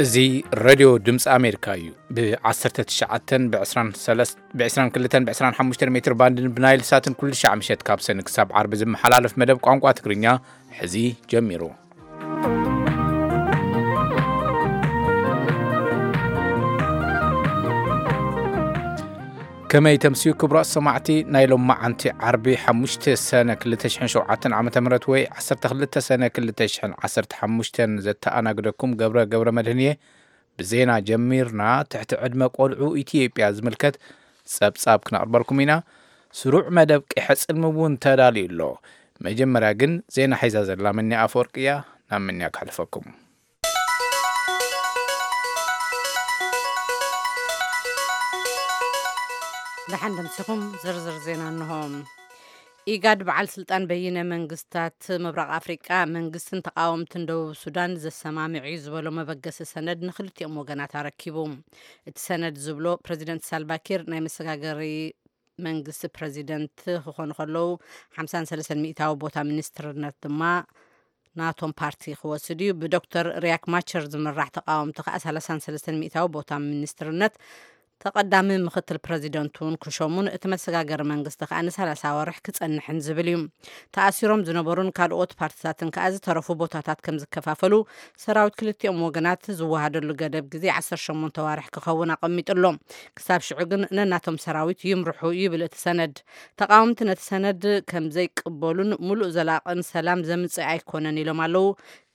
እዚ ሬድዮ ድምፂ ኣሜሪካ እዩ። ብ19፣ ብ23፣ ብ22፣ ብ25 ሜትር ባንድን ብናይል ሳትን ኩሉ ሻዕ ምሸት ካብ ሰኒ ክሳብ ዓርቢ ዝመሓላለፍ መደብ ቋንቋ ትግርኛ ሕዚ ጀሚሩ። ከመይ ተምስዩ ክቡራት ሰማዕቲ፣ ናይ ሎማዓንቲ ዓርቢ ሓሙሽተ ሰነ ክልተ ሽሕን ሸውዓተን ዓመተ ምህረት ወይ ዓሰርተ ክልተ ሰነ ክልተ ሽሕን ዓሰርተ ሓሙሽተን ዘተኣናግደኩም ገብረ ገብረ መድህን እየ። ብዜና ጀሚርና። ትሕቲ ዕድመ ቆልዑ ኢትዮጵያ ዝምልከት ጸብጻብ ክነቕርበልኩም ኢና። ስሩዕ መደብ ቂሐ ጽልሚ እውን ተዳልዩ ኣሎ። መጀመርያ ግን ዜና ሒዛ ዘላ ምንያ ኣፈወርቂ እያ። ናብ ምንያ ከሕልፈኩም። ደሓን ደምሲኹም። ዝርዝር ዜና እንሆ። ኢጋድ በዓል ስልጣን በይነ መንግስታት ምብራቕ ኣፍሪቃ መንግስትን ተቃወምትን ደቡብ ሱዳን ዘሰማምዕ እዩ ዝበሎ መበገሲ ሰነድ ንክልቲኦም ወገናት ኣረኪቡ። እቲ ሰነድ ዝብሎ ፕረዚደንት ሳልቫኪር ናይ መሰጋገሪ መንግስቲ ፕረዚደንት ክኾኑ ከለዉ ሓምሳን ሰለስተን ሚእታዊ ቦታ ሚኒስትርነት ድማ ናቶም ፓርቲ ክወስድ እዩ። ብዶክተር ሪያክ ማቸር ዝምራሕ ተቃወምቲ ከዓ ሰላሳን ሰለስተን ሚእታዊ ቦታ ሚኒስትርነት ተቐዳሚ ምክትል ፕረዚደንት እውን ክሸሙን እቲ መሰጋገሪ መንግስቲ ከዓ ንሰላሳ ወርሕ ክጸንሕን ዝብል እዩ። ተኣሲሮም ዝነበሩን ካልኦት ፓርትታትን ከዓ ዝተረፉ ቦታታት ከም ዝከፋፈሉ ሰራዊት ክልቲኦም ወገናት ዝወሃደሉ ገደብ ግዜ ዓሰርተ ሸሞንተ ዋርሕ ክኸውን ኣቐሚጡ ኣሎ። ክሳብ ሽዑ ግን ነናቶም ሰራዊት ይምርሑ ይብል እቲ ሰነድ። ተቃወምቲ ነቲ ሰነድ ከም ዘይቅበሉን ምሉእ ዘላቕን ሰላም ዘምጽእ ኣይኮነን ኢሎም ኣለዉ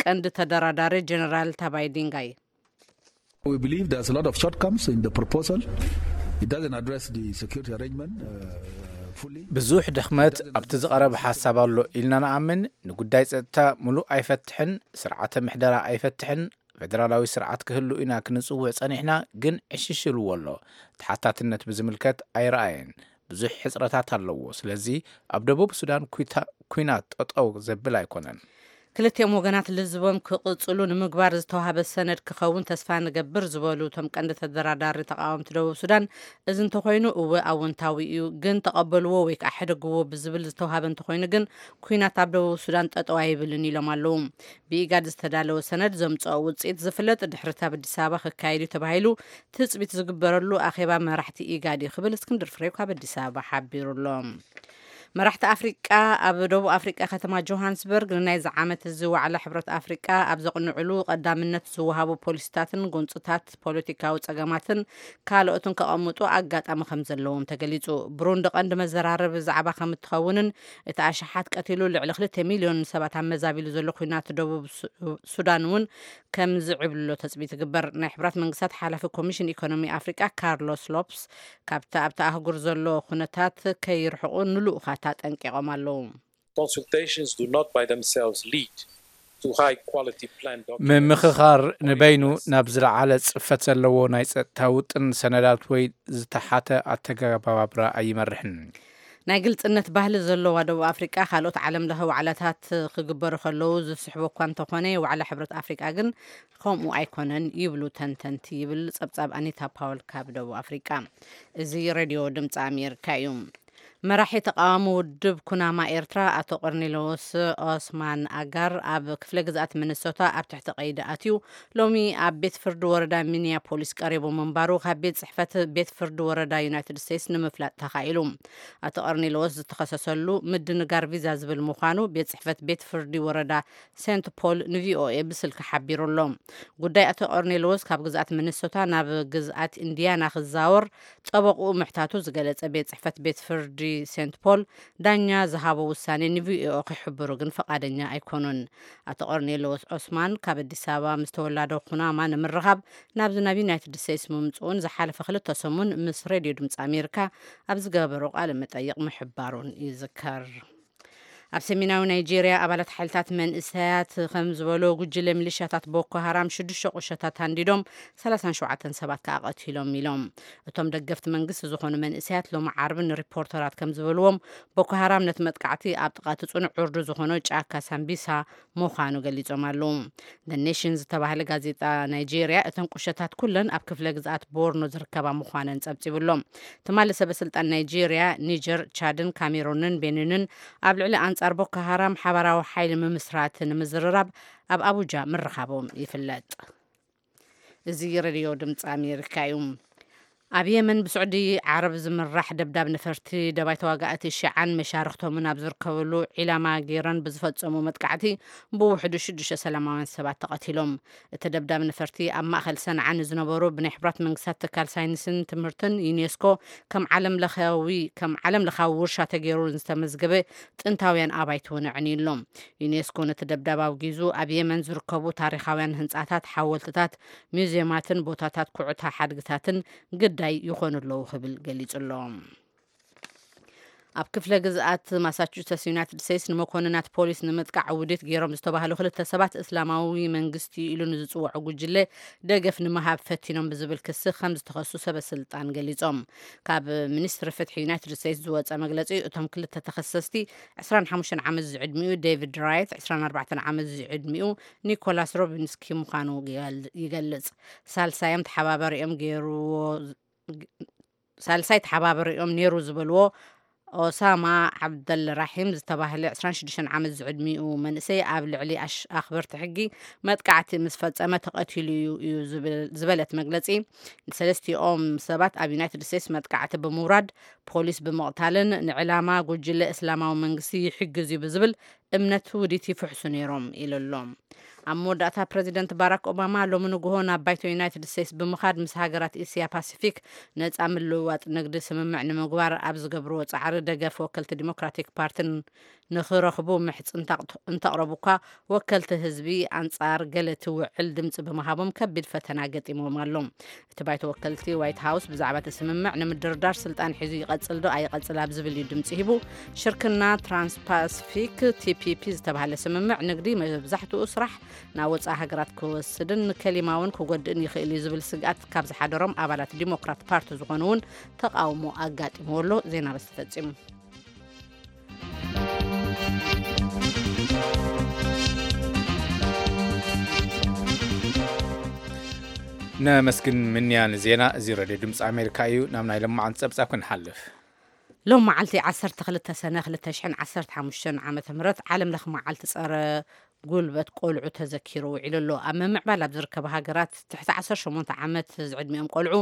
ቀንዲ ተደራዳሪ ጀነራል ታባይ ዲንጋይ። We believe there's a lot of shortcomings in the proposal. It doesn't address the security arrangement, uh, fully. ብዙሕ ድኽመት ኣብቲ ዝቐረበ ሓሳብ ኣሎ ኢልና ንኣምን። ንጉዳይ ጸጥታ ምሉእ ኣይፈትሕን፣ ስርዓተ ምሕደራ ኣይፈትሕን፣ ፌደራላዊ ስርዓት ክህሉ ኢና ክንጽውዕ ጸኒሕና፣ ግን ዕሽሽ ኢልዎ ኣሎ። ተሓታትነት ብዝምልከት ኣይረኣየን። ብዙሕ ሕጽረታት ኣለዎ። ስለዚ ኣብ ደቡብ ሱዳን ኩይታ-፣ ኩናት ጠጠው ዘብል ኣይኮነን። ክልቲኦም ወገናት ልዝቦም ክቕጽሉ ንምግባር ዝተዋህበ ሰነድ ክኸውን ተስፋ ንገብር ዝበሉ እቶም ቀንዲ ተደራዳሪ ተቃወምቲ ደቡብ ሱዳን፣ እዚ እንተኾይኑ እወ ኣወንታዊ እዩ፣ ግን ተቐበልዎ ወይ ከዓ ሕደግዎ ብዝብል ዝተዋህበ እንተኾይኑ ግን ኩናት ኣብ ደቡብ ሱዳን ጠጠው ኣይብልን ኢሎም ኣለዉ። ብኢጋድ ዝተዳለወ ሰነድ ዘምጽኦ ውጽኢት ዝፍለጥ ድሕሪ ኣብ ኣዲስ ኣበባ ክካየድ እዩ ተባሂሉ ትጽቢት ዝግበረሉ ኣኼባ መራሕቲ ኢጋድ እዩ ክብል እስክንድር ፍሬው ካብ ኣዲስ ኣበባ ሓቢሩ ኣሎ። መራሕቲ ኣፍሪቃ ኣብ ደቡብ ኣፍሪቃ ከተማ ጆሃንስበርግ ንናይዚ ዓመት እዚ ዋዕላ ሕብረት ኣፍሪቃ ኣብ ዘቕንዕሉ ቀዳምነት ዝወሃቡ ፖሊሲታትን ጎንፅታት ፖለቲካዊ ጸገማትን ካልኦትን ከቐምጡ ኣጋጣሚ ከም ዘለዎም ተገሊጹ። ብሩንዲ ቀንዲ መዘራረቢ ዛዕባ ከም እትኸውንን እቲ ኣሽሓት ቀቲሉ ልዕሊ ክልተ ሚልዮን ሰባት ኣመዛቢሉ ዘሎ ኲናት ደቡብ ሱ-፣ ሱዳን እውን ከም ዝዕብልሎ ተጽቢት ይግበር። ናይ ሕብራት መንግስታት ሓላፊ ኮሚሽን ኢኮኖሚ ኣፍሪቃ ካርሎስ ሎፕስ ካብቲ ኣብቲ ኣህጉር ዘሎ ኩነታት ከይርሕቑ ንልኡኻት ኣጠንቂቖም ኣለዉ። Consultations do not by themselves lead to high quality plan documents. ምምኽኻር ንበይኑ ናብ ዝለዓለ ጽፈት ዘለዎ ናይ ጸጥታ ውጥን ሰነዳት ወይ ዝተሓተ ኣተገባብራ ኣይመርሕን። ናይ ግልጽነት ባህሊ ዘለዋ ደቡብ ኣፍሪቃ ካልኦት ዓለም ለኸ ዋዕላታት ክግበሩ ከለዉ ዝስሕቦ እኳ እንተኾነ ዋዕላ ሕብረት ኣፍሪቃ ግን ከምኡ ኣይኮነን ይብሉ ተንተንቲ ይብል ጸብጻብ ኣኒታ ፓውል ካብ ደቡብ ኣፍሪቃ። እዚ ሬድዮ ድምፂ ኣሜሪካ እዩ። መራሒ ተቃዋሚ ውድብ ኩናማ ኤርትራ ኣቶ ቆርኔሎስ ኦስማን ኣጋር ኣብ ክፍለ ግዝኣት ሚኒሶታ ኣብ ትሕቲ ቀይዲ ኣትዩ ሎሚ ኣብ ቤት ፍርዲ ወረዳ ሚኒያፖሊስ ቀሪቡ ምንባሩ ካብ ቤት ጽሕፈት ቤት ፍርዲ ወረዳ ዩናይትድ ስቴትስ ንምፍላጥ ተኻኢሉ። ኣቶ ቆርኔሎስ ዝተኸሰሰሉ ምድንጋር ቪዛ ዝብል ምዃኑ ቤት ጽሕፈት ቤት ፍርዲ ወረዳ ሴንት ፖል ንቪኦኤ ብስልኪ ሓቢሩ ኣሎ። ጉዳይ ኣቶ ቆርኔሎስ ካብ ግዝኣት ሚኒሶታ ናብ ግዝኣት ኢንዲያና ክዛወር ጠበቕኡ ምሕታቱ ዝገለጸ ቤት ጽሕፈት ቤት ፍርዲ ሴንት ፖል ዳኛ ዝሃቦ ውሳኔ ንቪኦኤ ክሕብሩ ግን ፈቓደኛ ኣይኮኑን። ኣቶ ቆርኔሎስ ዖስማን ካብ ኣዲስ ኣበባ ምስ ተወላዶ ኩናማ ንምርኻብ ናብዚ ናብ ዩናይትድ ስቴትስ ምምጽኡን ዝሓለፈ ክልተ ሰሙን ምስ ሬድዮ ድምፂ ኣሜሪካ ኣብ ዝገበሮ ቃለ መጠይቕ ምሕባሩን ይዝከር። ኣብ ሰሜናዊ ናይጄርያ ኣባላት ሓይልታት መንእሰያት ከም ዝበሎ ጉጅለ ሚሊሻታት ቦኮ ሃራም ሽዱሽተ ቁሸታት ሃንዲዶም ሰላሳን ሸውዓተን ሰባት ከኣ ቀቲሎም ኢሎም። እቶም ደገፍቲ መንግስቲ ዝኾኑ መንእሰያት ሎሚ ዓርቢ ንሪፖርተራት ከም ዝበልዎም ቦኮ ሃራም ነቲ መጥቃዕቲ ኣብ ጥቓ እቲ ጽኑዕ ዕርዱ ዝኾኖ ጫካ ሳምቢሳ ምዃኑ ገሊጾም ኣለዉ። The Nation ዝተባህለ ጋዜጣ ናይጄርያ እተን ቁሸታት ኩለን ኣብ ክፍለ ግዝኣት ቦርኖ ዝርከባ ምዃነን ጸብጺቡ ኣሎ። ትማሊ ሰበ ስልጣን ናይጄርያ ኒጀር፣ ቻድን ካሜሩንን ቤኒንን ኣብ ልዕሊ ኣንጻር ቦኮ ሃራም ሓባራዊ ሓይሊ ምምስራት ንምዝርራብ ኣብ ኣቡጃ ምርኻቦም ይፍለጥ። እዚ ሬድዮ ድምፂ ኣሜሪካ እዩ። ኣብ የመን ብስዑዲ ዓረብ ዝምራሕ ደብዳብ ነፈርቲ ደባይ ተዋጋእቲ ሺዓን መሻርኽቶምን ኣብ ዝርከብሉ ዒላማ ገይረን ብዝፈጸሙ መጥቃዕቲ ብውሕዱ ሽዱሽተ ሰላማውያን ሰባት ተቐቲሎም። እቲ ደብዳብ ነፈርቲ ኣብ ማእኸል ሰንዓ ንዝነበሩ ብናይ ሕቡራት መንግስታት ትካል ሳይንስን ትምህርትን ዩኔስኮ ከም ዓለም ለኻዊ ከም ዓለም ለኻዊ ውርሻ ተገይሩ ዝተመዝገበ ጥንታውያን ኣባይቲ እውን ኣዕንዩ ኣሎ። ዩኔስኮ ነቲ ደብዳብ ኣውጊዙ ኣብ የመን ዝርከቡ ታሪኻውያን ህንጻታት፣ ሓወልትታት፣ ሚውዚየማትን ቦታታት ኩዕታ ሓድግታትን ግዳይ ይኾኑ ኣለዉ ክብል ገሊጹ ኣሎ። ኣብ ክፍለ ግዝኣት ማሳቹሰትስ ዩናይትድ ስቴትስ ንመኮንናት ፖሊስ ንምጥቃዕ ውዲት ገይሮም ዝተባህሉ ክልተ ሰባት እስላማዊ መንግስቲ ኢሉ ንዝፅውዖ ጉጅለ ደገፍ ንምሃብ ፈቲኖም ብዝብል ክሲ ከም ዝተኸሱ ሰበ ስልጣን ገሊጾም። ካብ ሚኒስትሪ ፍትሒ ዩናይትድ ስቴትስ ዝወፀ መግለፂ፣ እቶም ክልተ ተኸሰስቲ ዕስራን ሓሙሽተን ዓመት ዝዕድሚኡ ዴቪድ ራይት፣ ዕስራን ኣርባዕተን ዓመት ዝዕድሚኡ ኒኮላስ ሮቢንስኪ ምዃኑ ይገል- ይገልጽ። ሳልሳዮም ተሓባባሪኦም ገይርዎ ሳልሳይ ተሓባባሪኦም ነይሩ ዝበልዎ ኦሳማ ዓብደል ራሒም ዝተባህለ ዕስራን ሽዱሽተን ዓመት ዝዕድሚኡ መንእሰይ ኣብ ልዕሊ ኣሽ- ኣኽበርቲ ሕጊ መጥቃዕቲ ምስ ፈጸመ ተቐቲሉ እዩ እዩ ዝብል- ዝበለት መግለጺ፣ ንሰለስቲኦም ሰባት ኣብ ዩናይትድ ስቴትስ መጥቃዕቲ ብምውራድ ፖሊስ ብምቕታልን ንዕላማ ጉጅለ እስላማዊ መንግስቲ ይሕግዝ እዩ ብዝብል እምነት ውዲት ይፍሕሱ ነይሮም ኢሉ ኣሎ። ኣብ መወዳእታ ፕረዚደንት ባራክ ኦባማ ሎሚ ንግሆ ናብ ባይቶ ዩናይትድ ስቴትስ ብምኻድ ምስ ሃገራት እስያ ፓሲፊክ ነጻ ምልውዋጥ ንግዲ ስምምዕ ንምግባር ኣብ ዝገብርዎ ጻዕሪ ደገፍ ወከልቲ ዲሞክራቲክ ፓርትን ንኽረኽቡ ምሕጽንታ እንተቕረቡ እኳ ወከልቲ ህዝቢ ኣንጻር ገለ እቲ ውዕል ድምጺ ብምሃቦም ከቢድ ፈተና ገጢምዎም ኣሎ። እቲ ባይቶ ወከልቲ ዋይት ሃውስ ብዛዕባ እቲ ስምምዕ ንምድርዳር ስልጣን ሒዙ ይቐጽል ዶ ኣይቐጽል ኣብ ዝብል እዩ ድምጺ ሂቡ። ሽርክና ትራንስፓሲፊክ ቲ ፒ ፒ ዝተባህለ ስምምዕ ንግዲ መብዛሕትኡ ስራሕ ናብ ወጻኢ ሃገራት ክወስድን ከሊማውን ክጎድእን ይኽእል እዩ ዝብል ስግኣት ካብ ዝሓደሮም ኣባላት ዲሞክራት ፓርቲ ዝኾኑ እውን ተቃውሞ ኣጋጢምዎ ኣሎ። ዜና በስ ተፈጺሙ። ነመስግን ምንያን ዜና። እዚ ሬድዮ ድምፂ ኣሜሪካ እዩ። ናብ ናይ ለማዓንቲ ፀብፃብ ክንሓልፍ። ሎም መዓልቲ ዓሰርተ ክልተ ሰነ ክልተ ሽሕን ዓሰርተ ሓሙሽተን ዓመተ ምህረት ዓለም ለኽ መዓልቲ ፀረ ጉልበት ቆልዑ ተዘኪሩ ውዒሉ ኣሎ። ኣብ ምምዕባል ኣብ ዝርከባ ሃገራት ትሕቲ ዓሰርተ ሸሞንተ ዓመት ዝዕድሚኦም ቆልዑ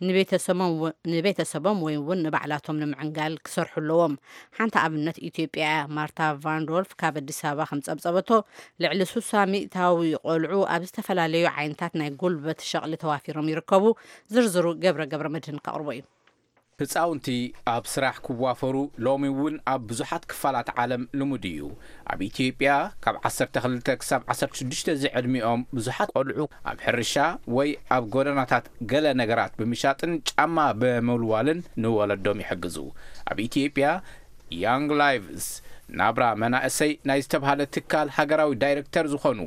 ንቤተሰቦም ወ- ንቤተሰቦም ወይ እውን ንባዕላቶም ንምዕንጋል ክሰርሑ ኣለዎም። ሓንቲ ኣብነት ኢትዮጵያ እያ። ማርታ ቫንዶልፍ ካብ ኣዲስ ኣበባ ከም ጸብጸበቶ፣ ልዕሊ ሱሳ ሚእታዊ ቆልዑ ኣብ ዝተፈላለዩ ዓይነታት ናይ ጉልበት ሸቕሊ ተዋፊሮም ይርከቡ። ዝርዝሩ ገብረ ገብረ መድህን ከቕርቦ እዩ። ህፃውንቲ ኣብ ስራሕ ክዋፈሩ ሎሚ እውን ኣብ ብዙሓት ክፋላት ዓለም ልሙድ እዩ። ኣብ ኢትዮጵያ ካብ ዓሰርተ ክልተ ክሳብ ዓሰርተ ሽዱሽተ ዝዕድሚኦም ብዙሓት ቆልዑ ኣብ ሕርሻ ወይ ኣብ ጎደናታት ገለ ነገራት ብምሻጥን ጫማ ብምውልዋልን ንወለዶም ይሕግዙ። ኣብ ኢትዮጵያ ያንግ ላይቭስ ናብራ መናእሰይ ናይ ዝተብሃለ ትካል ሃገራዊ ዳይሬክተር ዝኾኑ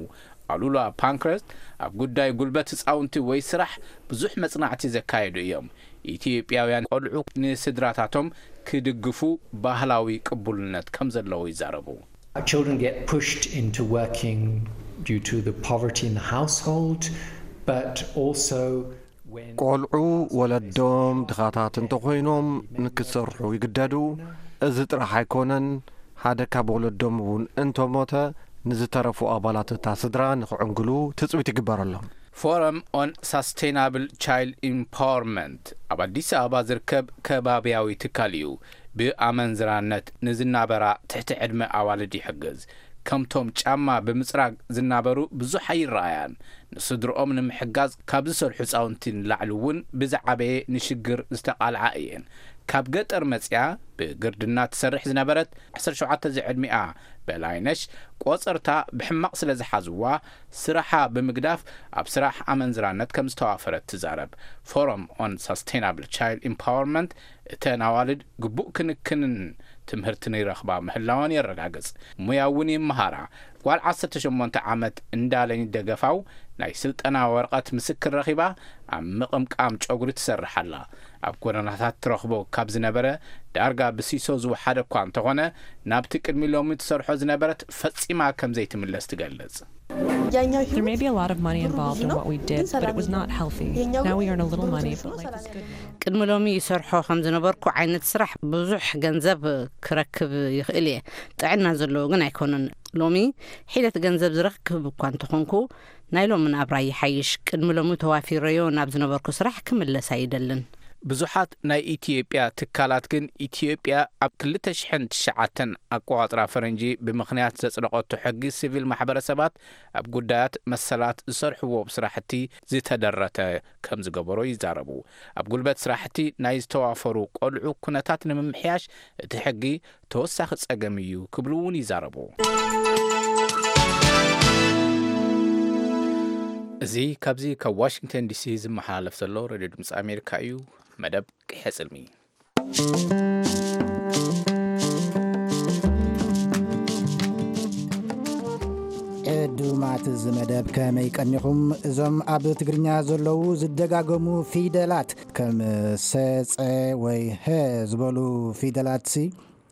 ኣሉላ ፓንክረስት ኣብ ጉዳይ ጉልበት ህፃውንቲ ወይ ስራሕ ብዙሕ መጽናዕቲ ዘካየዱ እዮም። ኢትዮጵያውያን ቆልዑ ንስድራታቶም ክድግፉ ባህላዊ ቅቡልነት ከም ዘለዎ ይዛረቡ። Children get pushed into working due to the poverty in the household, but also when ቆልዑ ወለዶም ድኻታት እንተኾይኖም ንክሰርሑ ይግደዱ። እዚ ጥራሕ ኣይኮነን፣ ሓደ ካብ ወለዶም እውን እንተሞተ ንዝተረፉ ኣባላት እታ ስድራ ንክዕንግሉ ትፅቢት ይግበረሎም። ፎረም ኦን ሳስቴናብል ቻይልድ ኢምፓወርመንት ኣብ ኣዲስ ኣበባ ዝርከብ ከባቢያዊ ትካል እዩ። ብኣመንዝራነት ንዝናበራ ትሕቲ ዕድመ ኣዋልድ ይሕግዝ። ከምቶም ጫማ ብምጽራግ ዝናበሩ ብዙሕ ኣይረኣያን። ንስድርኦም ንምሕጋዝ ካብ ዝሰርሑ ህፃውንቲ ንላዕሊ እውን ብዝዓበየ ንሽግር ዝተቓልዓ እየን። ካብ ገጠር መፅያ ብግርድና ትሰርሕ ዝነበረት ዓሰርተ ሸውዓተ ዝዕድሚኣ በላይነሽ ቆፀርታ ብሕማቕ ስለ ዝሓዝዋ ስራሓ ብምግዳፍ ኣብ ስራሕ ኣመንዝራነት ከም ዝተዋፈረት ትዛረብ። ፎረም ኦን ሳስቴናብል ቻይልድ ኢምፓወርመንት እተን ኣዋልድ ግቡእ ክንክንን ትምህርትን ይረኽባ ምህላወን የረጋግጽ። ሙያ እውን ይመሃራ። ጓል ዓሰርተ ሸሞንተ ዓመት እንዳለኝ ደገፋው ናይ ስልጠና ወረቐት ምስክር ረኺባ ኣብ ምቕምቃም ጨጉሪ ትሰርሕ ኣላ። ኣብ ጎደናታት ትረኽቦ ካብ ዝነበረ ዳርጋ ብሲሶ ዝወሓደ እኳ እንተኾነ ናብቲ ቅድሚ ሎሚ ትሰርሖ ዝነበረት ፈጺማ ከም ዘይትምለስ ትገልጽ። There may be a lot of money involved in what we did, but it was not healthy. Now we earn a little money, but life is good. ቅድሚ ሎሚ ይሰርሖ ከም ዝነበርኩ ዓይነት ስራሕ ብዙሕ ገንዘብ ክረክብ ይኽእል እየ። ጥዕና ዘለዎ ግን ኣይኮነን። ሎሚ ሒደት ገንዘብ ዝረክብ እኳ እንተኾንኩ ናይ ሎሚ ናብራ ይሓይሽ፣ ቅድሚ ሎሚ ተዋፊረዮ ናብ ዝነበርኩ ስራሕ ክምለስ ኣይደልን። ብዙሓት ናይ ኢትዮጵያ ትካላት ግን ኢትዮጵያ ኣብ ክልተ ሽሕን ትሽዓተን ኣቆጻጽራ ፈረንጂ ብምኽንያት ዘጽደቐቶ ሕጊ ሲቪል ማሕበረሰባት ኣብ ጉዳያት መሰላት ዝሰርሕዎ ስራሕቲ ዝተደረተ ከም ዝገበሮ ይዛረቡ። ኣብ ጉልበት ስራሕቲ ናይ ዝተዋፈሩ ቆልዑ ኩነታት ንምምሕያሽ እቲ ሕጊ ተወሳኺ ጸገም እዩ ክብሉ እውን ይዛረቡ። እዚ ካብዚ ካብ ዋሽንግተን ዲሲ ዝመሓላለፍ ዘሎ ሬድዮ ድምፂ ኣሜሪካ እዩ። መደብ ቅሐ ጽልሚ። ዕዱማት እዚ መደብ ከመይ ቀኒኹም? እዞም ኣብ ትግርኛ ዘለዉ ዝደጋገሙ ፊደላት ከም ሰ፣ ጸ ወይ ሀ ዝበሉ ፊደላትሲ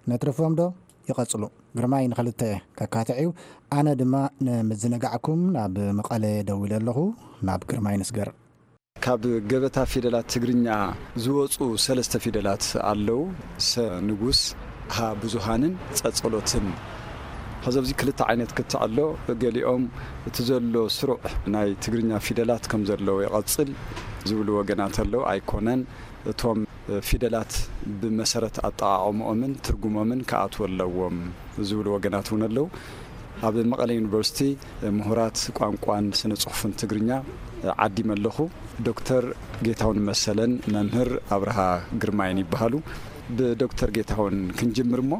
ነትርፎም ዶ? ይቐጽሉ። ግርማይ ንኽልተ ከካትዕ እዩ። ኣነ ድማ ንምዝንጋዕኩም ናብ መቐለ ደዊለ ኣለኹ። ናብ ግርማይ ንስገር። ካብ ገበታ ፊደላት ትግርኛ ዝወፁ ሰለስተ ፊደላት ኣለዉ። ሰ ንጉስ፣ ሃ ብዙሃንን ጸ ጸሎትን። ኸዚ ኣብዚ ክልተ ዓይነት ክትዕ ኣሎ። ገሊኦም እቲ ዘሎ ስሩዕ ናይ ትግርኛ ፊደላት ከም ዘለዎ ይቐጽል ዝብሉ ወገናት ኣለዉ። ኣይኮነን። እቶም ፊደላት ብመሰረት ኣጠቓቕምኦምን ትርጉሞምን ክኣትዉ ኣለዎም ዝብሉ ወገናት እውን ኣለዉ። ኣብ መቐለ ዩኒቨርሲቲ ምሁራት ቋንቋን ስነ ጽሑፍን ትግርኛ ዓዲመ ኣለኹ። ዶክተር ጌታሁን መሰለን መምህር ኣብርሃ ግርማይን ይበሃሉ። ብዶክተር ጌታሁን ክንጅምር እሞ፣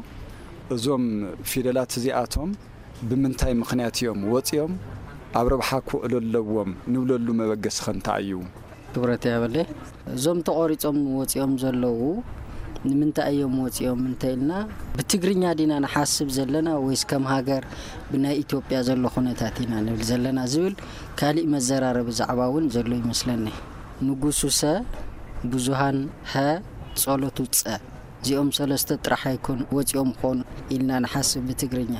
እዞም ፊደላት እዚኣቶም ብምንታይ ምኽንያት እዮም ወፂኦም? ኣብ ረብሓ ክውዕሉ ኣለዎም ንብለሉ መበገሲ ኸ እንታይ እዩ? ክብረት ያበለ። እዞም ተቖሪጾም ወጺኦም ዘለዉ ንምንታይ እዮም ወጺኦም እንተ ኢልና፣ ብትግርኛ ዲና ንሓስብ ዘለና ወይስ ከም ሃገር ብናይ ኢትዮጵያ ዘሎ ኩነታት ኢና ንብል ዘለና ዝብል ካሊእ መዘራረቢ ዛዕባ እውን ዘሎ ይመስለኒ። ንጉሱ ሰ፣ ብዙሃን ሀ፣ ጸሎቱ ጸ። እዚኦም ሰለስተ ጥራሕ ኣይኮኑ ወጺኦም ኾኑ ኢልና ንሓስብ ብትግርኛ።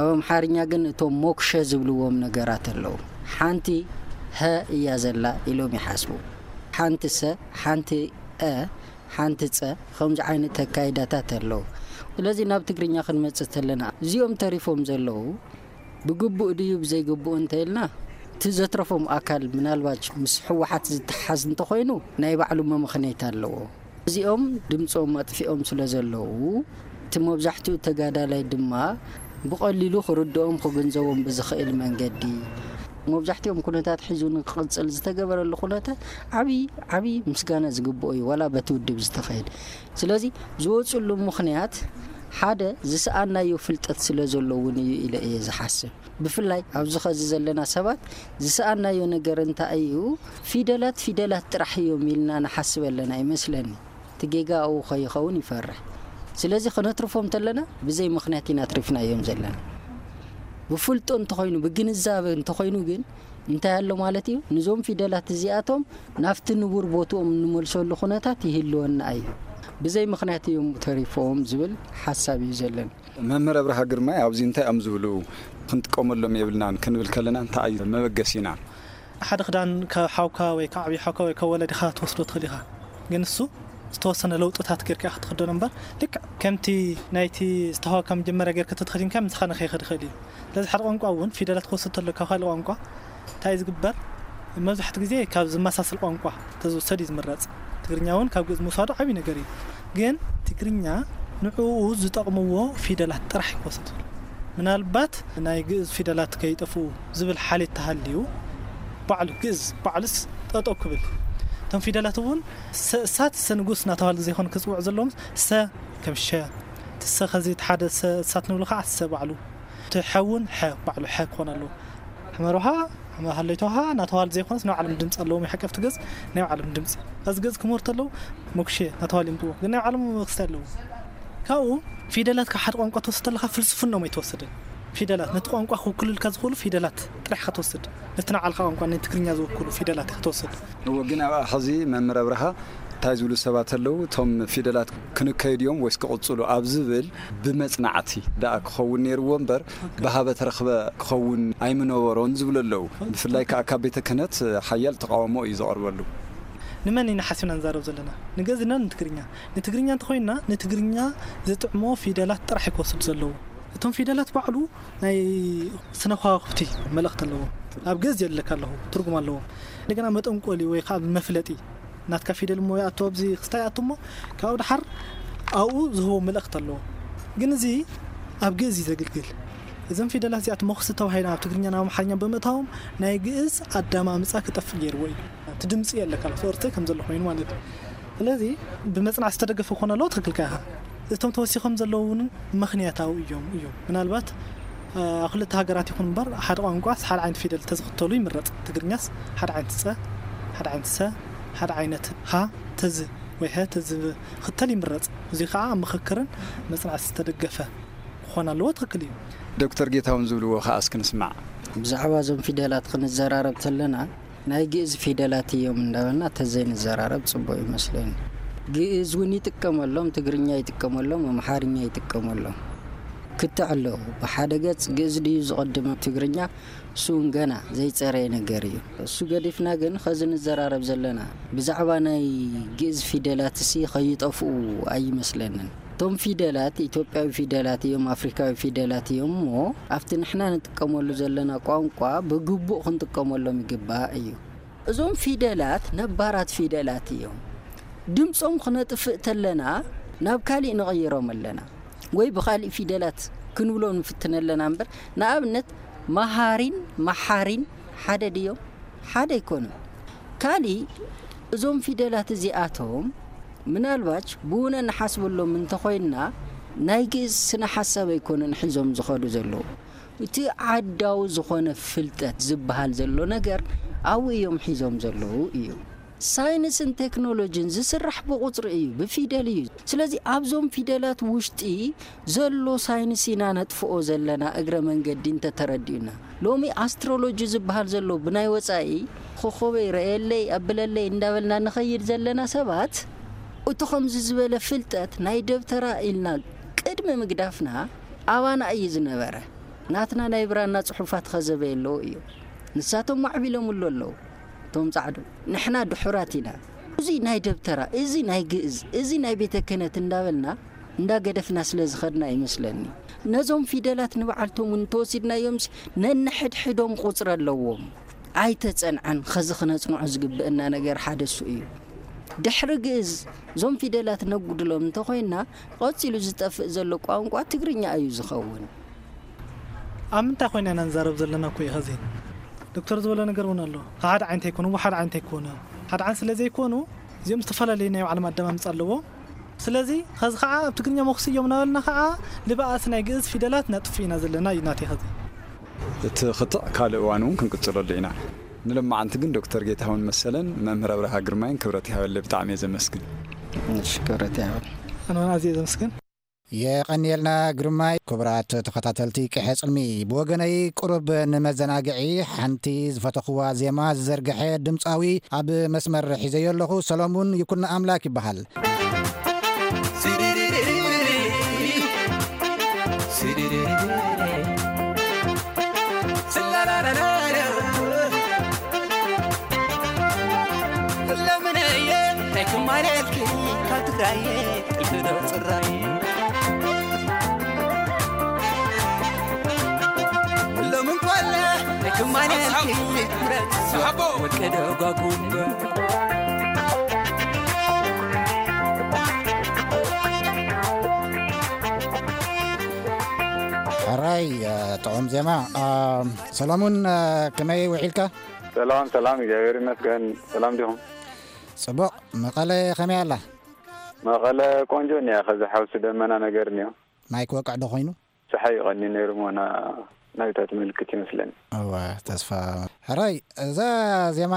ኣብ ኣምሓርኛ ግን እቶም ሞክሸ ዝብልዎም ነገራት ኣለዉ። ሓንቲ ሀ እያ ዘላ ኢሎም ይሓስቡ። ሓንቲ ሰ፣ ሓንቲ አ፣ ሓንቲ ጸ፣ ከምዚ ዓይነት ኣካይዳታት ኣለዉ። ስለዚ ናብ ትግርኛ ክንመጽእ ተለና፣ እዚኦም ተሪፎም ዘለዉ ብግቡእ ድዩ ብዘይግቡእ እንተ ኢልና፣ እቲ ዘትረፎም ኣካል ምናልባት ምስ ህወሓት ዝተሓዝ እንተኾይኑ፣ ናይ ባዕሉ መመኽነይታ ኣለዎ። እዚኦም ድምጾም ኣጥፊኦም ስለ ዘለዉ፣ እቲ መብዛሕትኡ ተጋዳላይ ድማ ብቐሊሉ ክርድኦም ክግንዘቦም ብዝኽእል መንገዲ፣ መብዛሕትኦም ኩነታት ሒዙ ንክቕጽል ዝተገበረሉ ኩነታት ዓብዪ፣ ዓብዪ ምስጋና ዝግብኦ እዩ፣ ዋላ በቲ ውድብ ዝተኸየደ። ስለዚ ዝወጽሉ ምኽንያት ሓደ ዝሰኣናዮ ፍልጠት ስለ ዘሎ እውን እዩ ኢለ እየ ዝሓስብ። ብፍላይ ኣብዚ ኸዚ ዘለና ሰባት ዝሰኣናዮ ነገር እንታይ እዩ? ፊደላት፣ ፊደላት ጥራሕ እዮም ኢልና ንሓስብ ኣለና ይመስለኒ። እቲ ጌጋ ኣብኡ ከይኸውን ይፈርሕ። ስለዚ ክነትርፎም ተለና ብዘይ ምኽንያት ኢና ኣትሪፍናዮም ዘለና። ብፍልጦ እንተኾይኑ፣ ብግንዛበ እንተኾይኑ ግን እንታይ ኣሎ ማለት እዩ? ንዞም ፊደላት እዚኣቶም ናብቲ ንቡር ቦትኦም እንመልሰሉ ኩነታት ይህልወና እዩ። ብዘይ ምኽንያት እዮም ተሪፎም ዝብል ሓሳብ እዩ ዘለኒ። መምህር ኣብርሃ ግርማይ ኣብዚ እንታይ እዮም ዝብሉ? ክንጥቀመሎም የብልናን ክንብል ከለና እንታይ እዩ መበገሲና? ሓደ ክዳን ካብ ሓውካ ወይ ካብ ዓብዪ ሓውካ ወይ ካብ ወለዲኻ ትወስዶ ትኽእል ኢኻ። ግን እሱ ዝተወሰነ ለውጥታት ጌርካ ኢኻ ትኽደኖ እምበር፣ ልክዕ ከምቲ ናይቲ ዝተዋህበካ መጀመርያ ጌርካ ተተኸዲንካ ምሳኻ ንኸይኸድ ይኽእል እዩ። ስለዚ ሓደ ቋንቋ እውን ፊደላት ክወስድ ተሎ ካብ ካልእ ቋንቋ እንታይ እዩ ዝግበር? መብዛሕትኡ ግዜ ካብ ዝመሳሰል ቋንቋ ተዝውሰድ እዩ ዝምረጽ። ትግርኛ እውን ካብ ግእዝ ምውሳዱ ዓብዪ ነገር እዩ። ግን ትግርኛ ንዕኡ ዝጠቕምዎ ፊደላት ጥራሕ እዩ ክወስድ። ምናልባት ናይ ግእዝ ፊደላት ከይጠፍኡ ዝብል ሓልዮት ተሃልዩ፣ ባዕሉ ግእዝ ባዕሉስ ጠጠው ክብል፣ እቶም ፊደላት እውን ሰ-፣ እሳት ሰ ንጉስ እናተባህሉ ዘይኮኑ ክጽውዑ ዘለዎም፣ ሰ ከም ሸ፣ እቲ ሰ ኸዚ እቲ ሓደ ሰ እሳት ንብሎ ከዓ ሰ ባዕሉ፣ እቲ ሐ እውን ሐ ባዕሉ ሐ ክኾን ኣለዎ። ሕመር ውሃ፣ ሕመር ሃለይቶ ውሃ እናተባህሉ ዘይኮነስ ናይ ባዕሎም ድምፂ ኣለዎም። የሓቀፍቲ ገፅ ናይ ባዕሎም ድምፂ። እዚ ገፅ ክምህሩ ተለዉ ሞክሼ እናተባህሉ ይምፅዎ። ግን ናይ ባዕሎም ክስታይ ኣለዎም። ካብኡ ፊደላት ካብ ሓደ ቋንቋ ትወስድ ተለኻ ፍልስፍናኦም ኣይትወስድን። ፊደላት ነቲ ቋንቋ ክውክሉልካ ዝኽእሉ ፊደላት ጥራሕ ኢኻ ትወስድ። ነቲ ንባዕልኻ ቋንቋ ናይ ትግርኛ ዝውክሉ ፊደላት ኢኻ ትወስድ። እወ፣ ግን ኣብኣ ሕዚ መምህር ኣብርሃ እንታይ ዝብሉ ሰባት ኣለዉ? እቶም ፊደላት ክንከይድ እዮም ወይስ ክቕጽሉ ኣብ ዝብል ብመጽናዕቲ ደኣ ክኸውን ነይርዎ እምበር፣ ብሃበ ተረኽበ ክኸውን ኣይምነበሮን ዝብሉ ኣለዉ። ብፍላይ ከኣ ካብ ቤተ ክህነት ሓያል ተቃውሞ እዩ ዝቐርበሉ። ንመን ኢና ሓሲብና ንዛረብ ዘለና? ንግእዝና ንትግርኛ? ንትግርኛ እንተኾይንና፣ ንትግርኛ ዝጥዕሞ ፊደላት ጥራሕ እዩ ክወስድ ዘለዎ። እቶም ፊደላት ባዕሉ ናይ ስነ ከዋኽብቲ መልእኽቲ ኣለዎ። ኣብ ግእዝ የለካ ኣለኹ፣ ትርጉም ኣለዎም። እንደገና መጠንቆሊ ወይ ከዓ መፍለጢ ናትካ ፊደል እሞ ይኣቱ ኣብዚ ክስታይ ይኣቱ እሞ ካብኡ ድሓር ኣብኡ ዝህቦ መልእኽቲ ኣለዎ። ግን እዚ ኣብ ግእዝ እዩ ዘግልግል። እዞም ፊደላት እዚኣት መኽሲ ተባሂሎም ኣብ ትግርኛ ናብ ኣምሓርኛ ብምእታዎም ናይ ግእዝ ኣዳማምፃ ክጠፍእ ገይርዎ እዩ። እቲ ድምፂ የለካ፣ ሶርተ ከም ዘሎ ኮይኑ ማለት እዩ። ስለዚ ብመፅናዕ ዝተደገፈ ክኾን ኣለዎ፣ ትኽክል ኢኻ። እቶም ተወሲኾም ዘለዉ እውን ምኽንያታዊ እዮም እዮም። ምናልባት ኣብ ክልተ ሃገራት ይኹን እምበር ሓደ ቋንቋ ሓደ ዓይነት ፊደል ተዝኽተሉ ይምረፅ። ትግርኛስ ሓደ ዓይነት ፀ፣ ሓደ ዓይነት ሰ፣ ሓደ ዓይነት ሃ ተዝ ወይ ሀ ተዝኽተል ይምረፅ። እዚ ከዓ ኣብ ምኽክርን መፅናዕቲ ዝተደገፈ ክኾን ኣለዎ። ትኽክል እዩ። ዶክተር ጌታውን ዝብልዎ ከዓ እስኪ ንስማዕ። ብዛዕባ እዞም ፊደላት ክንዘራረብ ተለና ናይ ግእዝ ፊደላት እዮም እንዳበልና ተዘይንዘራረብ ጽቡቕ ይመስለኒ። ግእዝ እውን ይጥቀመሎም፣ ትግርኛ ይጥቀመሎም፣ ኣምሓርኛ ይጥቀመሎም። ክትዕ ኣለዉ። ብሓደ ገጽ ግእዝ ድዩ ዝቐድም ትግርኛ? እሱ እውን ገና ዘይጸረየ ነገር እዩ። እሱ ገዲፍና ግን ኸዚ ንዘራረብ ዘለና ብዛዕባ ናይ ግእዝ ፊደላት እሲ ኸይጠፍኡ ኣይመስለንን። እቶም ፊደላት ኢትዮጵያዊ ፊደላት እዮም፣ ኣፍሪካዊ ፊደላት እዮም እሞ ኣብቲ ንሕና ንጥቀመሉ ዘለና ቋንቋ ብግቡእ ክንጥቀመሎም ይግባእ እዩ። እዞም ፊደላት ነባራት ፊደላት እዮም። ድምፆም ክነጥፍእ ተለና ናብ ካሊእ ንቕይሮም ኣለና ወይ ብካሊእ ፊደላት ክንብሎ ንፍትን ኣለና እምበር ንኣብነት መሃሪን መሓሪን ሓደ ድዮም? ሓደ ኣይኮኑን። ካሊእ እዞም ፊደላት እዚኣቶም ምናልባች ብውነ ንሓስበሎም እንተኾይንና ናይ ግእዝ ስነ ሓሳብ ኣይኮነን ሒዞም ዝኸዱ ዘለዉ። እቲ ዓዳዊ ዝኾነ ፍልጠት ዝበሃል ዘሎ ነገር ኣብኡ እዮም ሒዞም ዘለዉ እዩ። ሳይንስን ቴክኖሎጂን ዝስራሕ ብቑፅሪ እዩ፣ ብፊደል እዩ። ስለዚ ኣብዞም ፊደላት ውሽጢ ዘሎ ሳይንስ ኢና ነጥፍኦ ዘለና እግረ መንገዲ እንተተረዲኡና። ሎሚ ኣስትሮሎጂ ዝበሃል ዘሎ ብናይ ወፃኢ ኮኾበይ ረእየለይ ኣብለለይ እንዳበልና ንኸይድ ዘለና ሰባት እቱ ከምዚ ዝበለ ፍልጠት ናይ ደብተራ ኢልና ቅድሚ ምግዳፍና ኣባና እዩ ዝነበረ። ናትና ናይ ብራና ፅሑፋት ኸዘበ የለዎ እዩ። ንሳቶም ማዕቢሎምሉ ኣለዉ። እቶም ጻዕዱ ንሕና ድሑራት ኢና። እዚ ናይ ደብተራ፣ እዚ ናይ ግእዝ፣ እዚ ናይ ቤተ ክህነት እንዳበልና እንዳገደፍና ስለ ዝኸድና ይመስለኒ። ነዞም ፊደላት ንበዓልቶም እውን እንተወሲድናዮምስ ነንሕድሕዶም ቁፅሪ ኣለዎም። ኣይተጸንዐን። ኸዚ ክነጽንዖ ዝግብእና ነገር ሓደ እሱ እዩ። ድሕሪ ግእዝ እዞም ፊደላት ነጉድሎም እንተኾይንና ቀጺሉ ዝጠፍእ ዘሎ ቋንቋ ትግርኛ እዩ ዝኸውን። ኣብ ምንታይ ኮይና ኢና ንዛረብ ዘለና እኮ እዩ ኸዚ። ዶክተር ዝበሎ ነገር እውን ኣሎ። ሓደ ዓይነት ኣይኮኑ፣ ሓደ ዓይነት ኣይኮኑ። ሓደ ዓይነት ስለ ዘይኮኑ እዚኦም ዝተፈላለዩ ናይ ባዕሎም ኣደማምፃ ኣለዎም። ስለዚ ኸዚ ከዓ ኣብ ትግርኛ መኹሲ እዮም እናበልና ከዓ ልበኣስ ናይ ግእዝ ፊደላት ነጥፍ ኢና ዘለና እዩ ናተይ ኸዚ። እቲ ክትዕ ካልእ እዋን እውን ክንቅፅለሉ ኢና። ንሎማዓንቲ ግን ዶክተር ጌታሁን መሰለን መምህር ኣብርሃ ግርማይን ክብረት ይሃበለይ፣ ብጣዕሚ እየ ዘመስግን። እሺ፣ ክብረት ይሃበል። ኣነ እውን ኣዝየ ዘመስግን። የቐንየልና ግርማይ። ክቡራት ተኸታተልቲ ቅሐ ጽልሚ፣ ብወገነይ ቁሩብ ንመዘናግዒ ሓንቲ ዝፈተኽዋ ዜማ ዝዘርግሐ ድምጻዊ ኣብ መስመር ሒዘዮ ኣለኹ። ሰሎሙን ይኩን ኣምላክ ይበሃል። ለምነየ ናይ ክማለልኪ ካብ ትግራየ ጥልፊ ዶ ጽራይ ሎምን ኮለ ናይ ክማለልኪ ምረት ወልቀ ደጓጉም ሕራይ ጥዑም ዜማ። ሰሎሙን፣ ከመይ ውዒልካ? ሰላም ሰላም፣ እግዚኣብሔር ይመስገን። ሰላም ዲኹም? ጽቡቕ። መቐለ ከመይ ኣላ? መቐለ ቆንጆ እኒኣ፣ ከዚ ሓውሲ ደመና ነገር እኒኦ። ማይ ክወቅዕ ዶ ኮይኑ? ጸሓይ እዩ ቀንዩ ነይሩ እሞ ና-፣ ናይታት ምልክት ይመስለኒ። እወ፣ ተስፋ። ሕራይ፣ እዛ ዜማ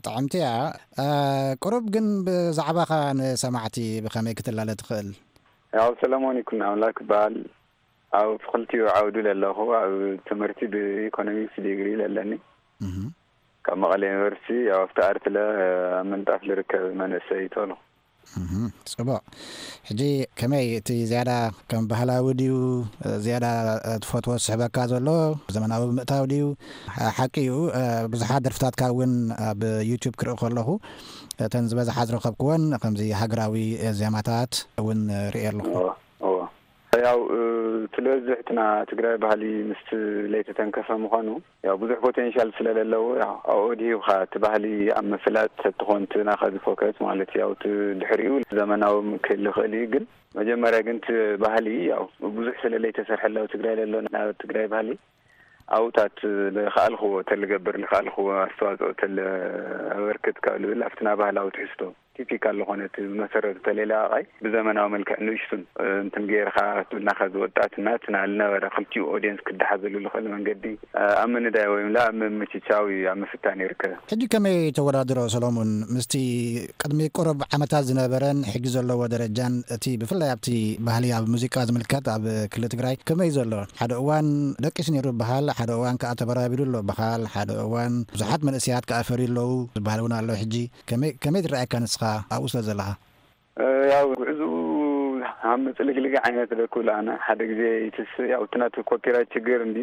ጥዕምቲ እያ። ቁሩብ ግን ብዛዕባኻ ንሰማዕቲ ብኸመይ ክትላለ ትኽእል? ያው ሰለሞን ይኩን ኣምላክ ይበሃል። ኣብ ክልቲኡ ዓውዲ ለለኹ፣ ኣብ ትምህርቲ ብኢኮኖሚክስ ዲግሪ ለለኒ። እህ። ካብ መቐለ ዩኒቨርሲቲ፣ ያው ኣብቲ ኣርትለ ኣብ ምንጣፍ ልርከብ መንእሰይ ተልኹ። እህ፣ ጽቡቕ። ሕጂ ከመይ እቲ ዝያዳ ከም ባህላዊ ድዩ፣ ዝያዳ ትፈትዎ ዝስሕበካ ዘሎ ዘመናዊ ብምእታው ድዩ? ሓ-፣ ሓቂ እዩ፣ ብዙሓት ደርፍታትካ እውን ኣብ ዩቱብ ክርኢ ከለኹ፣ እተን ዝበዝሓ ዝረኸብክወን ከምዚ ሃገራዊ ዜማታት እውን ርእየ ኣለኹ። እዎ፣ እዎ። ያው እቲ ዝበዝሕ እቲ ናይ ትግራይ ባህሊ ምስ ለይተተንከፈ ምዃኑ፣ ያው ብዙሕ ፖቴንሻል ስለለለዎ፣ ያው ኣብኡ ድሂብካ እቲ ባህሊ ኣብ ምፍላጥ ተትኾን እቲ ናኻ ዝፎከስ ማለት እዩ። ያው እቲ ድሕሪኡ ዘመናዊ ክህል ይኽእል እዩ፣ ግን መጀመርያ ግን እቲ ባህሊ ያው ብዙሕ ስለ ለይተሰርሐለ ኣብ ትግራይ ለሎ ናይ ትግራይ ባህሊ ኣብኡታት ዝኸኣልክዎ ተልገብር፣ ዝኸኣልክዎ ኣስተዋፅኦ ተል ኣበርክት ካብ ልብል ኣብቲ ናይ ባህላዊ ትሕዝቶ ቲፒካል ዝኾነ እቲ ብመሰረት ተሌላ ኣቓይ ብዘመናዊ መልክዕ ንእሽቱን እንትን ጌርካ ናኻ ዝወጣትና እቲ ናይ ልነበረ ክልቲኡ ኦድየንስ ክደሓዘሉ ዝኽእል መንገዲ ኣብ ምንዳይ ወይም ላ ኣብ ምምችቻው እዩ ኣብ ምፍታን ይርከብ። ሕጂ ከመይ ተወዳድሮ ሰሎሙን? ምስቲ ቅድሚ ቁሩብ ዓመታት ዝነበረን ሕጂ ዘለዎ ደረጃን እቲ ብፍላይ ኣብቲ ባህሊ ኣብ ሙዚቃ ዝምልከት ኣብ ክልል ትግራይ ከመይ ዘሎ? ሓደ እዋን ደቂሱ ነይሩ ይበሃል፣ ሓደ እዋን ከዓ ተበራቢሩ ኣሎ ይበሃል፣ ሓደ እዋን ብዙሓት መንእሰያት ከዓ ፈርዩ ኣለዉ ዝበሃል እውን ኣሎ። ሕጂ ከመይ ከመይ ትረኣየካ ንስኻ ኣብኡ ስለ ዘለኻ? ያው ጉዕዝኡ ኣብ ምጽልግልግ ዓይነት ደኩል ኣነ ሓደ ግዜ ይትስ ያው እቲ ናቱ ኮፒራይት ችግር እንዲ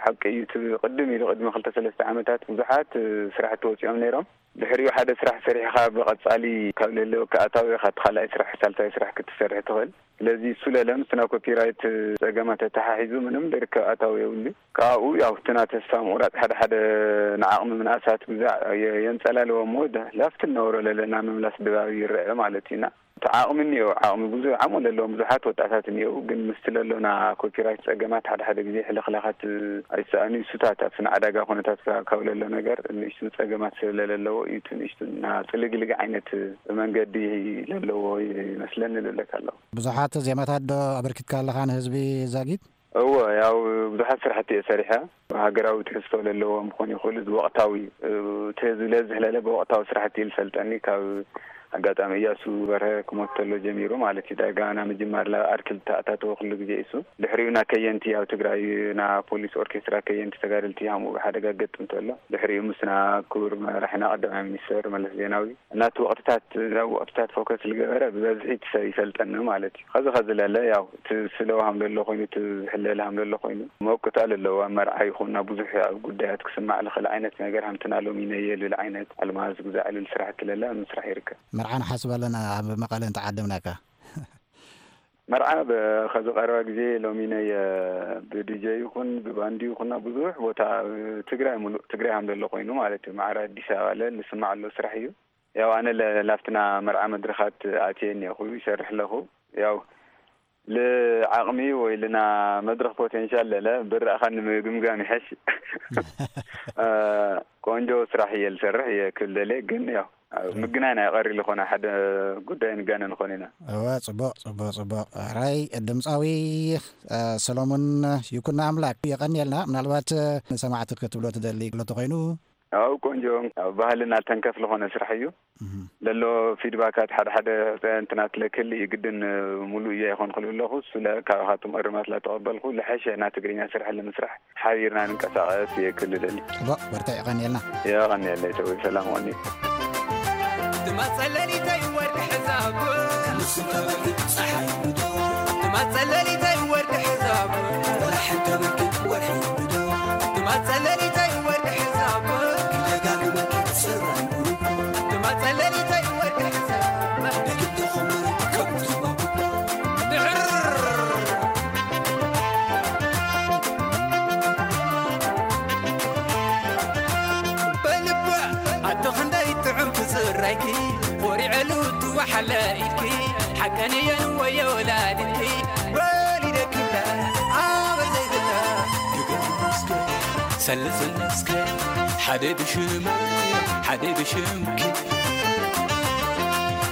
ሓቂ እዩ። እቲ ቅድም ኢሉ ቅድሚ ክልተ ሰለስተ ዓመታት ብዙሓት ስራሕቲ ወፂኦም ነይሮም። ድሕሪኡ ሓደ ስራሕ ሰሪሕኻ ብቐጻሊ ካብ ለለወካ ኣታዊ ኢኻ እቲ ካልኣይ ስራሕ ሳልሳይ ስራሕ ክትሰርሕ ትኽእል። ስለዚ እሱ ለለ ምስና ኮፒራይት ጸገማት ተተሓሒዙ ምንም ደርከብ ኣታዊ የብሉ። ካብኡ ያው እቲ ና ተስፋ ምቑራጽ ሓደ ሓደ ንዓቕሚ ምንኣሳት ግዛዕ የ- የንጸላልዎ እሞ ደ- ላፍቲ እነበሮ ለለና ምምላስ ድባብ ይረአ ማለት እዩና። እቲ ዓቕሚ እኒኦ ዓቕሚ ብዙ ዓቕሚ ለለዎም ብዙሓት ወጣታት እኒኦ ግን ምስቲ ለሎና ኮፒራይት ጸገማት ሓደ ሓደ ግዜ ሕልኽላኻት ኣይሰኣኑ እሱታት ኣብቲ ንዓዳጋ ኩነታት ካብ ለሎ ነገር ንእሽቱ ጸገማት ስለለለዎ እዩ እቲ ንእሽቱ እና ጽልግልግ ዓይነት መንገዲ ለለዎ ይመስለኒ ልብለካ ኣለኹ። ብዙሓት ዜማታት ዶ ኣበርኪትካ ኣለኻ ንህዝቢ ዛጊት? እወ ያው ብዙሓት ስራሕቲ እየ ሰሪሐ። ሃገራዊ ትሕዝቶ ለለዎም ክኾኑ ይኽእሉ እዚ ወቕታዊ እቲ ህዝቢ ለዝሕለለ ብወቕታዊ ስራሕቲ እዩ ዝፈልጠኒ ካብ ኣጋጣሚ እያሱ በርሀ ክሞት ተሎ ጀሚሩ ማለት እዩ ዳጋ ናብ ምጅማር ላ ኣርኪል ተኣታተወ ኩሉ ግዜ እሱ ድሕሪኡ ና ከየንቲ ኣብ ትግራይ ና ፖሊስ ኦርኬስትራ ከየንቲ ተጋደልቲ ሃምኡ ብሓደጋ ገጥም ተሎ ድሕሪኡ ምስና ክቡር መራሕና ቀዳማይ ሚኒስተር መለስ ዜናዊ እናቲ ወቕትታት ናብ ወቕትታት ፎከስ ዝገበረ ብበዝሒ ትሰ ይፈልጠኒ ማለት እዩ። ከዚ ከዚ ለለ ያው እቲ ስለውሃም ለሎ ኮይኑ እቲ ዝሕለልሃም ለሎ ኮይኑ መውቅታ ለለዎ ኣብ መርዓ ይኹን ናብ ብዙሕ ኣብ ጉዳያት ክስማዕ ልኽእል ዓይነት ነገር ሃምትና ሎሚ ነየ ልብል ዓይነት ኣልማዝ ጉዛዕ ልብል ስራሕ እትለለ ኣብ ምስራሕ ይርከብ። መርዓ ንሓስብ ኣለና ኣብ መቐለ እንተዓደምናካ። መርዓ ከዚ ቀረባ ግዜ ሎሚ ነየ ብዲጀ ይኹን ብባንዲ ይኹን ኣብ ብዙሕ ቦታ ትግራይ ሙሉእ ትግራይ ሃም ለሎ ኮይኑ ማለት እዩ ማዕረ ኣዲስ ኣበባ ለ ልስማዕ ኣሎ ስራሕ እዩ። ያው ኣነ ለ- ላፍትና መርዓ መድረኻት ኣትየ እኒኹ ይሰርሕ ኣለኹ። ያው ልዓቕሚ ወይ ልና መድረኽ ፖቴንሻል ለለ ብረእኻ ንምግምጋም ይሐሽ። ቆንጆ ስራሕ እየ ልሰርሕ እየ ክብል ደልየ ግን ያው ምግናይ ናይ ቀሪ ዝኾነ ሓደ ጉዳይ ንጋነ ንኾን ኢና። እወ ጽቡቕ ጽቡቕ ጽቡቕ። ራይ ድምፃዊ ሰሎሙን ይኩና ኣምላክ የቐንየልና። ምናልባት ንሰማዕቲ ክትብሎ ትደሊ ሎ ተኮይኑ? ኣው ቆንጆ ኣብ ባህልና ተንከፍ ዝኾነ ስራሕ እዩ። ለሎ ፊድባካት ሓደ ሓደ እንትናት ለክል ይግድን ሙሉእ እያ ይኾን ክልብለኹ ስለ ካብኻትም እርማት ላተቐበልኩ ለሐሸ ና ትግርኛ ስራሕ ለምስራሕ ሓቢርና ንንቀሳቐስ እየ ክልለኒ። ጽቡቕ በርትዕ የቐንየልና። የቐንየለይ ተወይ ሰላም ወኒ። ትማጸለሊተይ ወርቂ ሕዛብ ትማጸለሊተይ ወርቂ ሕዛብ ትማጸለሊተይ ወርቂ ሕዛብ ትማጸለሊተይ ወርቂ ሕዛብ ትማጸለሊተይ ወርቂ ሕዛብ በልባ ኣዶ ክንደይ ጥዑም ትዝራይኪ ኮሪዐሉ ትወሓለ ኢድኪ ሓቀንየን ወዮ ወላድኪ ወሊደክላ ኣበ ዘይብላ ክገብር እስከ ሰልስን እስከ ሓደ ብሽሙ ሓደ ብሽምኪ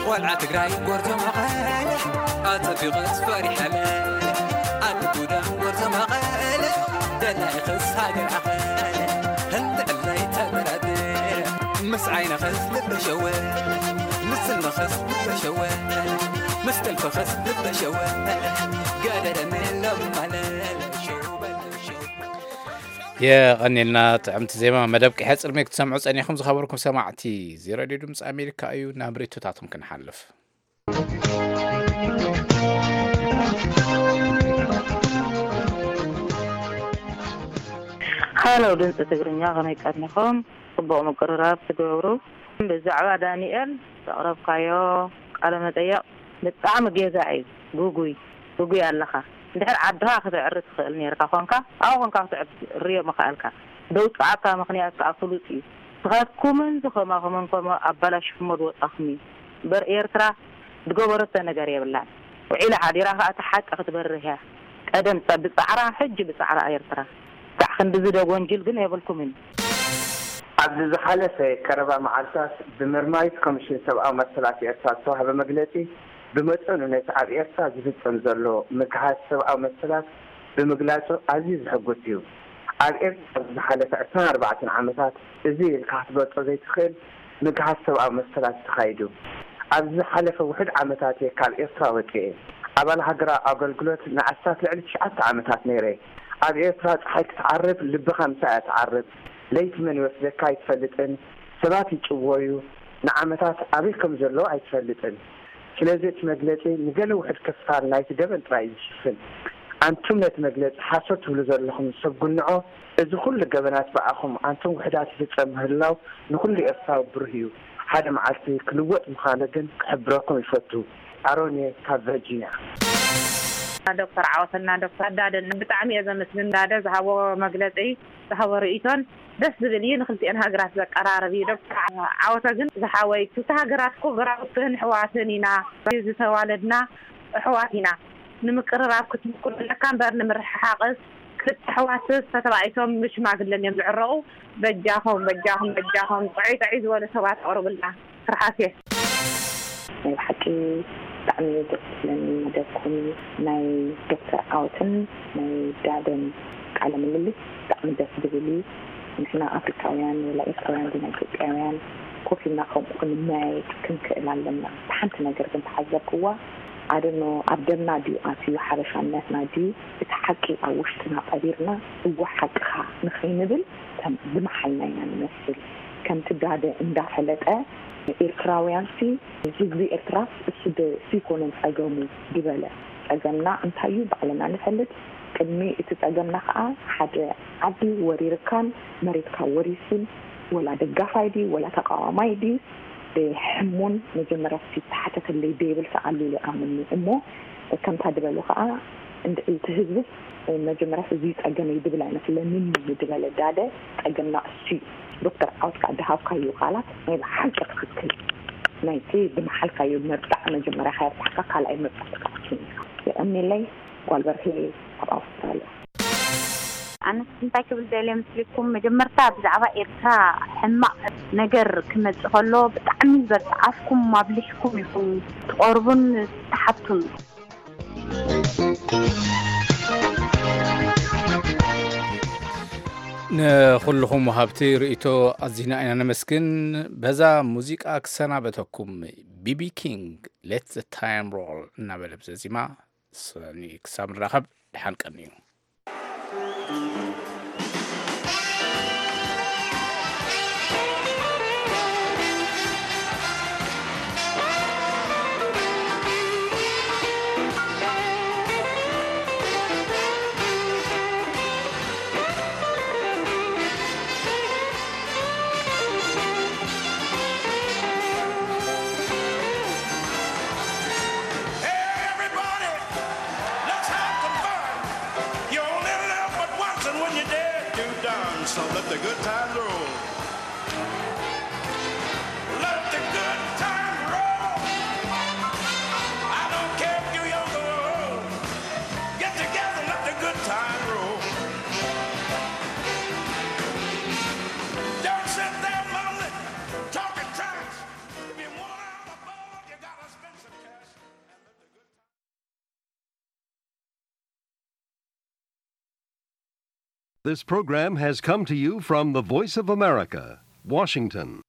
ቆልዓ ትግራይ ጎርዞ መቐለ ኣጸቢቐስ ፈሪሐለ ኣቲ ጉዳም ጎርዞ መቐለ ደላይኸስ ሃገር ኣኸለ ህንድዕለይ ተበራደ ምስ ዓይነኸስ ልበሸወ ምስ ስነኸስ ልበሸወ ምስ ጥልፍኸስ ልበሸወ ገደረኒ ለማለለ ሸውበለ ሸው የቐኔልና ጥዕምቲ ዜማ መደብ ቅሐ ጽልሜ ክትሰምዑ ጸኒኹም ዝኸበርኩም ሰማዕቲ እዚ ሬድዮ ድምፂ ኣሜሪካ እዩ ናብ ሬቶታቶም ክንሓልፍ። ሃሎ ድምፂ ትግርኛ ከመይ ቀኒኹም? ፅቡቕ ምቅርራብ ትገብሩ። ብዛዕባ ዳንኤል ዘቕረብካዮ ቃለ መጠየቕ ብጣዕሚ ጌጋ እዩ። ጉጉይ ጉጉይ ኣለኻ። እንድሕር ዓድኻ ክትዕሪ ትኽእል ነርካ ኮንካ፣ ኣብኡ ኮንካ ክትዕሪ ርዮ ምኽኣልካ። ደውፅኣካ ምኽንያት ከዓ ፍሉጥ እዩ። ንስኻትኩምን ዝኸማኹምን ከምኡ ኣባላሽኹሞ ዝወፃኹም እዩ። እምበር ኤርትራ ዝገበረቶ ነገር የብላን። ውዒላ ሓዲራ ከዓ እቲ ሓቂ ክትበርህ እያ። ቀደም ጸ-፣ ብጻዕራ፣ ሕጂ ብጻዕራ ኤርትራ። ክሳዕ ክንድዚ ዶ ጎንጅል ግን የብልኩምን። ኣብዚ ዝሓለፈ ቀረባ መዓልታት ብመርማሪት ኮሚሽን ሰብኣዊ መሰላት ኤርትራ ዝተዋህበ መግለጺ፣ ብመጠኑ ነቲ ኣብ ኤርትራ ዝፍጸም ዘሎ ምግሃስ ሰብኣዊ መሰላት ብምግላጹ ኣዝዩ ዘሐጉስ እዩ። ኣብ ኤርትራ ኣብዚ ዝሓለፈ ዕስራን ኣርባዕተን ዓመታት እዚ ኢልካ ክትገልጾ ዘይትኽእል ምግሃስ ሰብኣዊ መሰላት ተኻይዱ። ኣብዚ ዝሓለፈ ውሑድ ዓመታት እየ ካብ ኤርትራ ወጺኤ። ኣባል ሃገራዊ ኣገልግሎት ንኣስታት ልዕሊ ትሽዓተ ዓመታት ነይረ። ኣብ ኤርትራ ጸሓይ ክትዓርብ ልብኻ ምሳኣ እያ ትዓርብ። ለይቲ መን ይወስደካ ኣይትፈልጥን። ሰባት ይጭወዩ። ንዓመታት ኣበይ ከም ዘለዉ ኣይትፈልጥን። ስለዚ እቲ መግለጺ ንገለ ውሑድ ክፋል ናይቲ ገበን ጥራይ እዩ ዝሽፍን። ኣንቱም ነቲ መግለጺ ሓሶት ትብሉ ዘለኹም ሰብ ጉንዖ፣ እዚ ኩሉ ገበናት ብኣኹም ኣንቱም ውሑዳት ይፍጸም ምህላው ንኹሉ ኤርትራዊ ብሩህ እዩ። ሓደ መዓልቲ ክልወጥ ምዃኑ ግን ክሕብረኩም ይፈቱ። ኣሮን እየ ካብ ቨርጂንያ። ዶክተር ዓወትና ዶክተር ዳደን ብጣዕሚ እየ ዘመስግን። ዳደ ዝሃቦ መግለጺ፣ ዝሃቦ ርእይቶን ደስ ዝብል እዩ። ንክልቲኤን ሃገራት ዘቀራርብ እዩ። ዶክተር ዓወተ ግን ዝሓወይ፣ ክልተ ሃገራት እኮ ጎረባብትን ኣሕዋትን ኢና፣ ዝተዋለድና ኣሕዋት ኢና። ንምቅርራብ ክትምኩር ኣለካ እምበር ንምርሕሓቅስ ክልተ ኣሕዋትስ ተተባኢሶም ብሽማግለን እዮም ዝዕረቁ። በጃኹም፣ በጃኹም፣ በጃኹም ጥዑይ ጥዑይ ዝበሉ ሰባት ኣቅርቡልና። ትርሓስ እየ። ናይ ብሓቂ ብጣዕሚ እዩ ደስ ዝብለኒ መደብኩም። ናይ ዶክተር ዓወትን ናይ ዳደን ቃለ ምልልስ ብጣዕሚ ደስ ዝብል እዩ። ንሕና ኣፍሪካውያን ወላ ኤርትራውያን ዲና ኢትዮጵያውያን ኮፍ ኢልና ከምኡ ክንመያየጥ ክንክእል ኣለና። ሓንቲ ነገር ግን ተዓዘብክዋ፣ ኣደኖ ኣብ ደምና ድዩ ኣትዩ ሓበሻነትና ድዩ እቲ ሓቂ ኣብ ውሽጥና ቀቢርና እወ ሓቅኻ ንኸይንብል ከም ዝመሓልና ኢና ንመስል። ከምቲ ዳደ እንዳፈለጠ ኤርትራውያንሲ ህዝቢ ኤርትራስ እሱ ዶ እሱ ይኮነን ጸገሙ ድበለ። ጸገምና እንታይ እዩ ባዕልና ንፈልጥ። ቅድሚ እቲ ጸገምና ከኣ ሓደ ዓዲ ወሪርካን መሬትካ ወሪሱን ወላ ደጋፋይ ድዩ ወላ ተቃዋማይ ድዩ ሕሙን መጀመርያ ዝተሓተተለይ ደይብል ሰኣሉ ኢለ ኣምኒ እሞ ከምታ ድበሉ ከኣ እንድዒ እቲ ህዝብስ መጀመርያ እዚ ጸገመይ ድብል ኣይመስለንን እዩ ድበለ ዳደ ጸገምና እሱ እዩ። ዶክተር ዓወት ከኣ ድሃብካዮ ቃላት ናይ ብሓቂ ትኽክል ናይቲ ዝመሓልካዮ መብጣዕ መጀመርያ ከየብጣሕካ ካልኣይ መብጣዕ ትክክል ኢኻ። የቐኒለይ ጓል በርሄ ካብ ኣውስትራልያ። ኣነስ እንታይ ክብል ደልየ ምስልኩም መጀመርታ ብዛዕባ ኤርትራ ሕማቕ ነገር ክመጽእ ከሎ ብጣዕሚ ዝበርትዓፍኩም ኣብሊሕኩም ኢኹም ትቐርቡን ትሓቱን። ንኹልኹም ወሃብቲ ርእይቶ ኣዚና ኢና ነመስግን። በዛ ሙዚቃ ክሰናበተኩም። ቢቢ ኪንግ ሌት ዘ ታይም ሮል እናበለ ብዘዚማ ሰኒ ክሳብ ንራኸብ ደሓን ቀንዩ። Hey, everybody, let's have some fun. You only live but once, and when you're dead, you're done. So let the good times roll. Let the good times roll. I don't care if you're young or old. Get together, let the good times roll. Don't sit there mumbling, talking trash. If you want out of board, you gotta spend some cash. This program has come to you from the Voice of America, Washington.